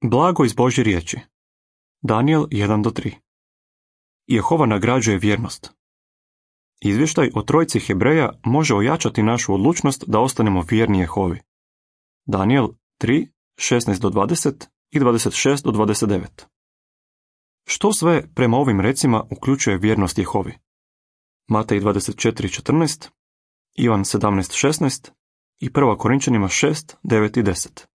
Blago iz Božje riječi. Danijel 1-3. Jehova nagrađuje vjernost. Izvještaj o trojici Hebreja može ojačati našu odlučnost da ostanemo vjerni Jehovi. Danijel 3, 16-20 i 26-29. Što sve prema ovim recima uključuje vjernost Jehovi? Matej 24:14, Ivan 17:16 i 1. Korinčanima 6, 9 i 10.